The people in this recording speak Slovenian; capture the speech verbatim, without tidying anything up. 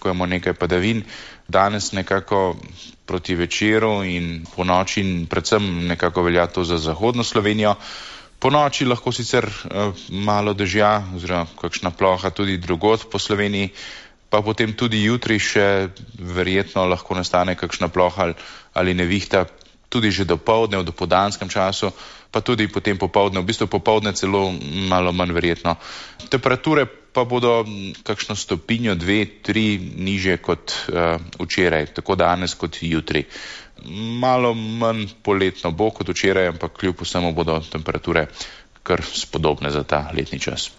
pričakujemo nekaj padavin. Danes nekako proti večeru in po noči in predvsem nekako velja to za zahodno Slovenijo. Po noči lahko sicer uh, malo dežja oziroma kakšna ploha tudi drugod po Sloveniji, pa potem tudi jutri še verjetno lahko nastane kakšna ploha ali nevihta, tudi že dopoldne, v dopoldanskem času, pa tudi potem popoldne, v bistvu popoldne celo malo manj verjetno. Temperature pa bodo kakšno stopinjo, dve, tri nižje kot uh, včeraj, tako danes kot jutri. Malo manj poletno bo kot včeraj, ampak kljub vsemu bodo temperature kar spodobne za ta letni čas.